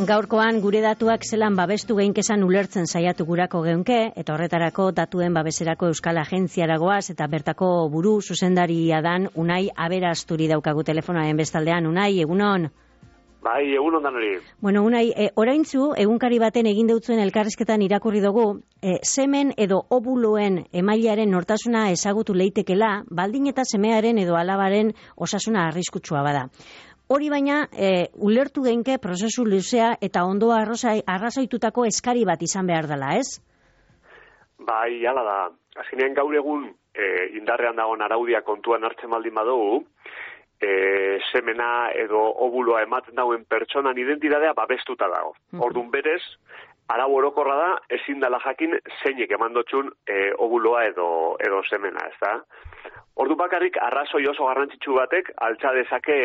Gaurkoan gure datuak zelan babestu geinkezan ulertzen saiatu gurako geunke, eta horretarako datuen babeserako Euskal Agentziara goaz, eta bertako buru zuzendaria dan Unai Aberasturi daukagu telefonoaren bestaldean. Unai, egunon? Bai, egunon dan hori. Bueno, Unai, oraintzu, egunkari baten egin deutzuen elkarrizketan irakurri dugu, semen edo obuloen emailearen nortasuna ezagutu leitekela, baldin eta semearen edo alabaren osasuna arriskutsua bada. Hori baina, ulertu geinke prozesu luzea eta ondo arrazoitutako eskari bat izan behar dela, ez? Bai, hala da. Azkenean gaur egun indarrean dagoen araudia kontuan hartzen baldin badugu, semena edo obuloa ematen dauen pertsonan identitatea babestuta dago. Ordun berez, arau orokorra da, ezin dela jakin zeinek emandotxun obuloa edo semena, ez da? Ordu bakarrik arrazoi oso garrantzitsu batek altza dezake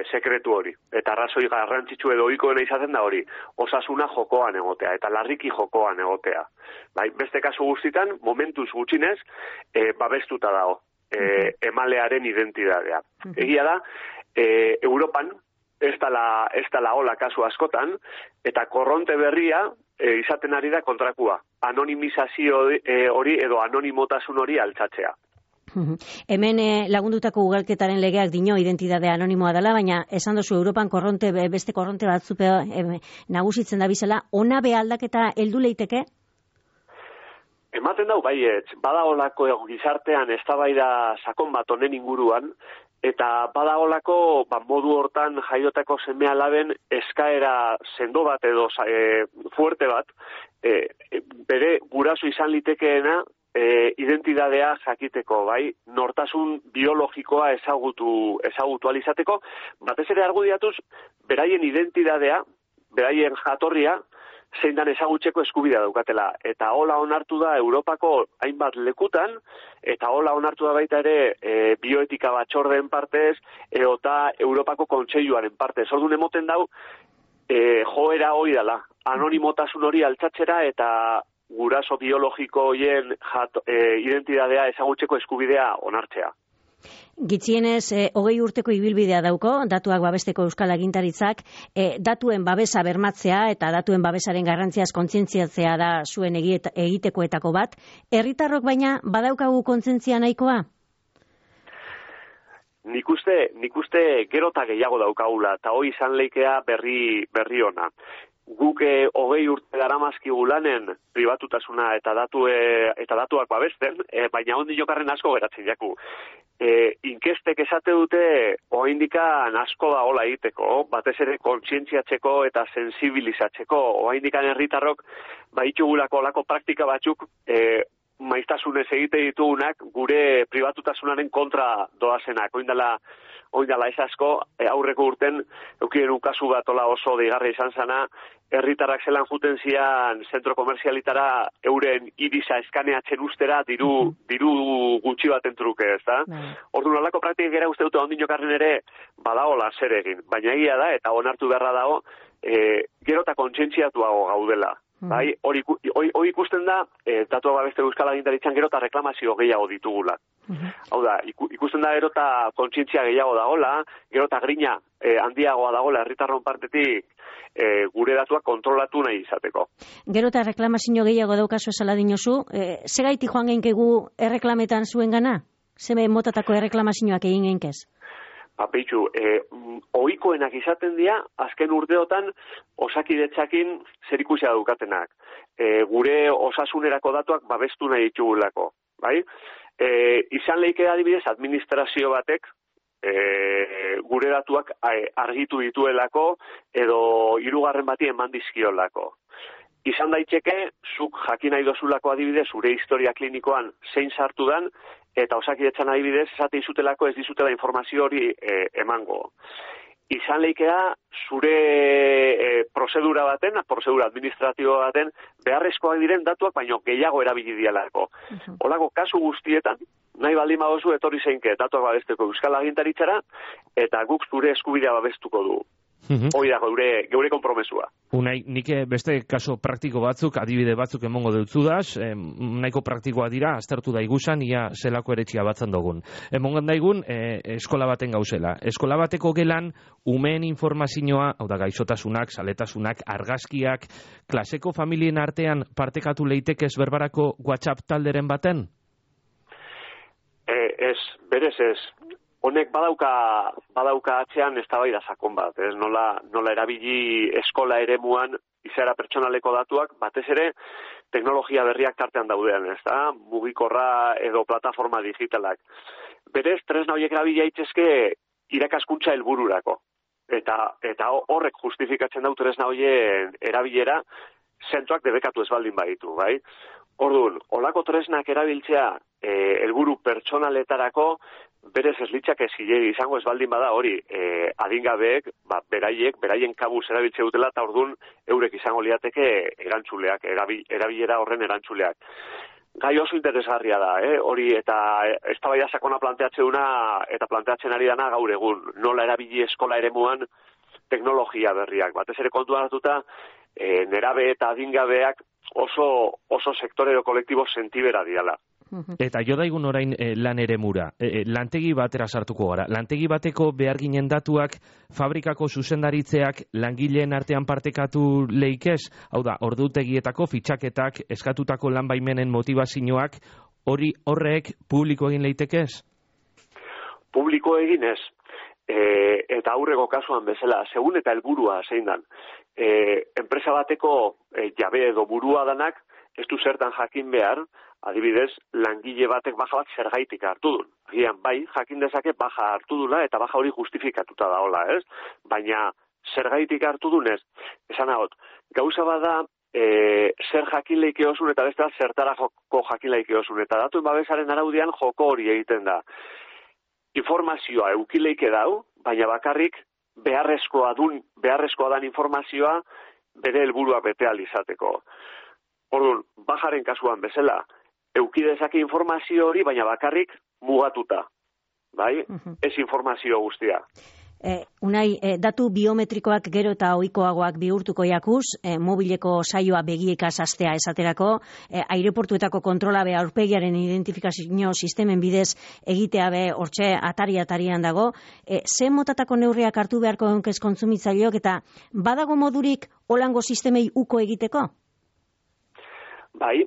sekretu hori. Eta arrazoi garrantzitsu edo ohikoena izaten da hori, osasuna jokoan egotea eta larriki jokoan egotea. Bai, beste kasu guztitan, momentuz gutxinez, babestuta dago emalearen identitatea. Egia da, Europan ez dela hola kasu askotan, eta korronte berria izaten ari da kontrakua. Anonimizazio hori edo anonimotasun hori altzatzea. Hemen lagundutako ugalketaren legeak dio identitate anonimoa dela, baina esan dozu Europan beste korronte batzupe nagusitzen da bizela, ona be aldaketa heldu leiteke? Ematen dau baietz, badaolako gizartean eztabaida sakon bat honen inguruan, eta badaolako modu hortan jaiotako seme-alaben eskaera sendo bat edo fuerte bat, bere guraso izan litekeena identitatea jakiteko, bai, nortasun biologikoa ezagutu alizateko, batez ere argudiatuz, beraien identitatea, beraien jatorria, zein dan ezagutzeko eskubidea daukatela. Eta hola onartu da Europako hainbat lekutan, eta hola onartu da baita ere bioetika batzordeen partez, eta Europako kontseiluaren partez. Orduan emoten dau, joera hori dela, anonimotasun hori altzatzera eta guraso biologiko horien identitatea ezagutzeko eskubidea onartzea. Gitzienez, 20 urteko ibilbidea dauko, datuak babesteko Euskal Agintaritzak, datuen babesa bermatzea eta datuen babesaren garrantziaz kontzientziatzea da zuen egitekoetako bat. Herritarrok baina badaukagu kontzientzia nahikoa? Nik uste gero eta gehiago daukagula, eta hoi izan leikea berri ona. Guk 20 urte daramazkigu lanen pribatutasuna eta datuak babesten, baina ondi jokarren asko geratzen jaku. Inkestek esate dute oraindikan asko da hola egiteko, batez ere kontzientziatzeko eta sensibilizatzeko. Oraindikan herritarrok baitugulako olako praktika batzuk maiztasunez egite ditugunak gure pribatutasunaren kontra doazenak. Oindala ez asko, aurreko urten eukien kasu bat oso deigarria izan zana, herritarrak zelan juten zian zentro komerzialitara euren irisa eskaneatzen ustera diru gutxi baten truke, ez da? Orduan olako praktikak era uste dute ondin jokarren ere badagola zer egin, baina egia da eta onartu beharra dago gero eta kontzientziatuago gaudela. Bai, hori ikusten da, datua babeste Euskal Agintaritzan gero eta reklamazio gehiago ditugula. Hau da, ikusten da gero eta kontzientzia gehiago dagola, gero eta grina handiagoa dagola herritarron partetik gure datuak kontrolatu nahi izateko. Gero eta reklamazio gehiago daukazu esala dinozu, segaitik joan geinkegu erreklametan zuen gana? Zeme motatako erreklamazioak egin geinkez? Peitxu, ohikoenak izaten dira, azken urteotan osakidetzakin zerikusia daukatenak. Gure osasunerako datuak babestu nahi ditugulako. Bai? Izan leike adibidez administrazio batek gure datuak argitu dituelako edo hirugarren bati eman dizkiolako. Izan daiteke, zuk jakin nahi dozulako adibidez, zure historia klinikoan zein sartu dan, eta osakidetzan adibidez, esate izutelako ez dizutela informazio hori emango. Izan leikea, zure prozedura administratibo baten, beharrezkoak diren datuak, baino gehiago erabili dialako. Holako kasu guztietan, nahi baldin badozu etorri zeinke datuak babesteko Euskal Agintaritzara, eta guk zure eskubidea babestuko du. Hori da geure konpromesua. Unai, nik beste kaso praktiko batzuk, adibide batzuk emongo deutzudaz, nahiko praktikoa dira, aztertu daigusan, ia zelako eretxia batzan dugun. Emongan daigun, eskola baten gauzela. Eskola bateko gelan, umeen informazioa, hau da gaixotasunak, saletasunak, argazkiak, klaseko familien artean partekatu leitekez berbarako WhatsApp talderen baten? Berez ez. Honek badauka atzean eztabaida sakon bat, ez? Nola erabili eskola eremuan izaera pertsonaleko datuak, batez ere teknologia berriak tartean daudean, ez da? Mugikorra edo plataforma digitalak. Berez, tresna horiek erabili daitezke irakaskuntza helbururako. Eta horrek justifikatzen dau tresna horien erabilera zentroak debekatu ez baldin baditu, bai? Orduan, olako tresnak erabiltzea helburu pertsonaletarako berez ez litzake zilegi izango ez baldin bada hori adingabeek, beraien kabuz erabiltze dutela eta orduan eurek izango liateke erantzuleak, erabilera horren erantzuleak. Gai oso interesgarria da, hori eta eztabaida sakona planteatzeuna eta planteatzen ari dana gaur egun, nola erabili eskola eremuan teknologia berriak. Batez ere kontuan hartuta, nerabe eta adingabeak oso sektore edo kolektibo sentibera diala. Eta jo daigun orain lan eremura, lantegi batera sartuko gara. Lantegi bateko behar ginen datuak fabrikako zuzendaritzeak langileen artean partekatu leikez, hau da, ordutegietako fitxaketak, eskatutako lan baimenen motivazioak, horrek publiko egin leitekez? Publiko egin ez, eta aurreko kasuan bezala, segun eta helburua zein dan. Enpresa bateko jabe edo burua danak, ez du zertan jakin behar, adibidez, langile batek baja bat zergaitik hartu duen. Agian, bai, jakin dezake baja hartu dula eta baja hori justifikatuta daola, ez? Baina, zergaitik hartu dunez, esan ahot, gauza bada, zer jakin leike osun eta beste zertara joko jakin leike osun. Eta datuen babesaren araudian joko hori egiten da. Informazioa eukileike dau, baina bakarrik beharrezkoa dan informazioa bere helburua bete ahal izateko. Orduan, bajaren kasuan bezala, eukidezake informazio hori, baina bakarrik mugatuta. Bai? Ez informazio guztia. Unai, datu biometrikoak gero eta ohikoagoak bihurtuko jakuz, mobileko saioa begiekaz astea esaterako, aireportuetako kontrola be aurpegiaren identifikazio sistemen bidez egitea be hortxe atari-atarian dago, ze motatako neurriak hartu beharko egonkez kontsumitzaileok eta badago modurik holango sistemei uko egiteko? Bai,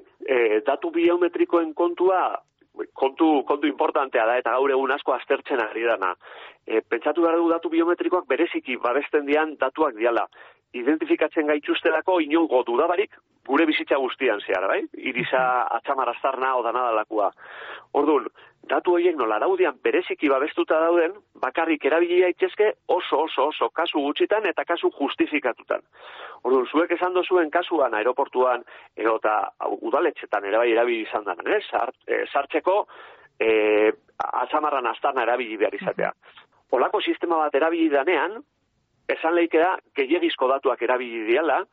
datu biometrikoen kontu importantea da eta gaur egun asko aztertzen ari dana. Pentsatu behar dugu datu biometrikoak bereziki babesten dian datuak diala. Identifikatzen gaituztelako inongo dudabarik gure bizitza guztian zehar, bai? Irisa atxamarastarna odana dalakua. Orduan, datu horiek nola daudian bereziki babestuta dauden, bakarrik erabili daitezke oso kasu gutxitan eta kasu justifikatutan. Orduan, zuek esan dozuen kasuan aeroportuan edo eta udaletxetan ere bai erabili izan den, sartzeko atxamarran astarna erabili behar izatea. Olako sistema bat erabili danean, esan leike da, gehiagizko datuak erabili diala,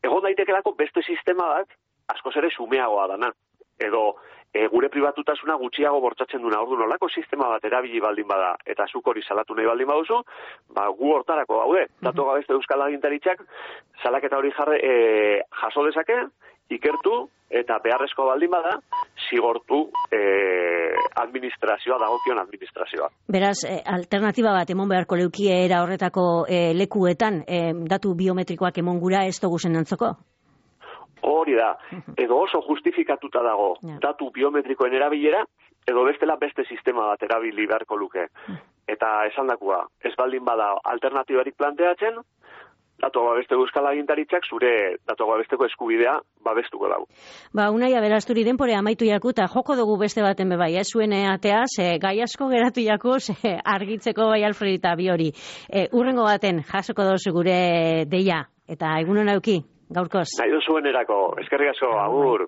egon daitekelako beste sistema bat, askoz ere sumeagoa dana. Edo, gure pribatutasuna gutxiago bortzatzen duna. Orduan, olako sistema bat erabili baldin bada, eta zuk hori salatu nahi baldin baduzu, gu hortarako gaude. Datu gabezte Euskal Agintaritzak, salaketa hori jaso dezake, ikertu, eta beharrezko baldin bada, zigortu administrazioa, dagokion administrazioa. Beraz, alternatiba bat emon beharko leukie era horretako lekuetan, datu biometrikoak emon gura ez dugu zen antzoko? Hori da, edo oso justifikatuta dago datu biometrikoen erabilera, edo bestela beste sistema bat erabili beharko luke. Eta esan dakua, ez baldin bada alternatibarik planteatzen, datu babeste Euskal Agintaritzak zure datu babesteko eskubidea babestuko dago. Unai aberasturi denpore amaitu jaku eta joko dugu beste baten bebai, zuen ateaz, gai asko geratu jakuz argitzeko bai Alfred eta bi hori. Urrengo baten jasoko dozu gure deia, eta egun hona euki, gaurkoz. Nahi duzuen erako, eskerrik asko, agur.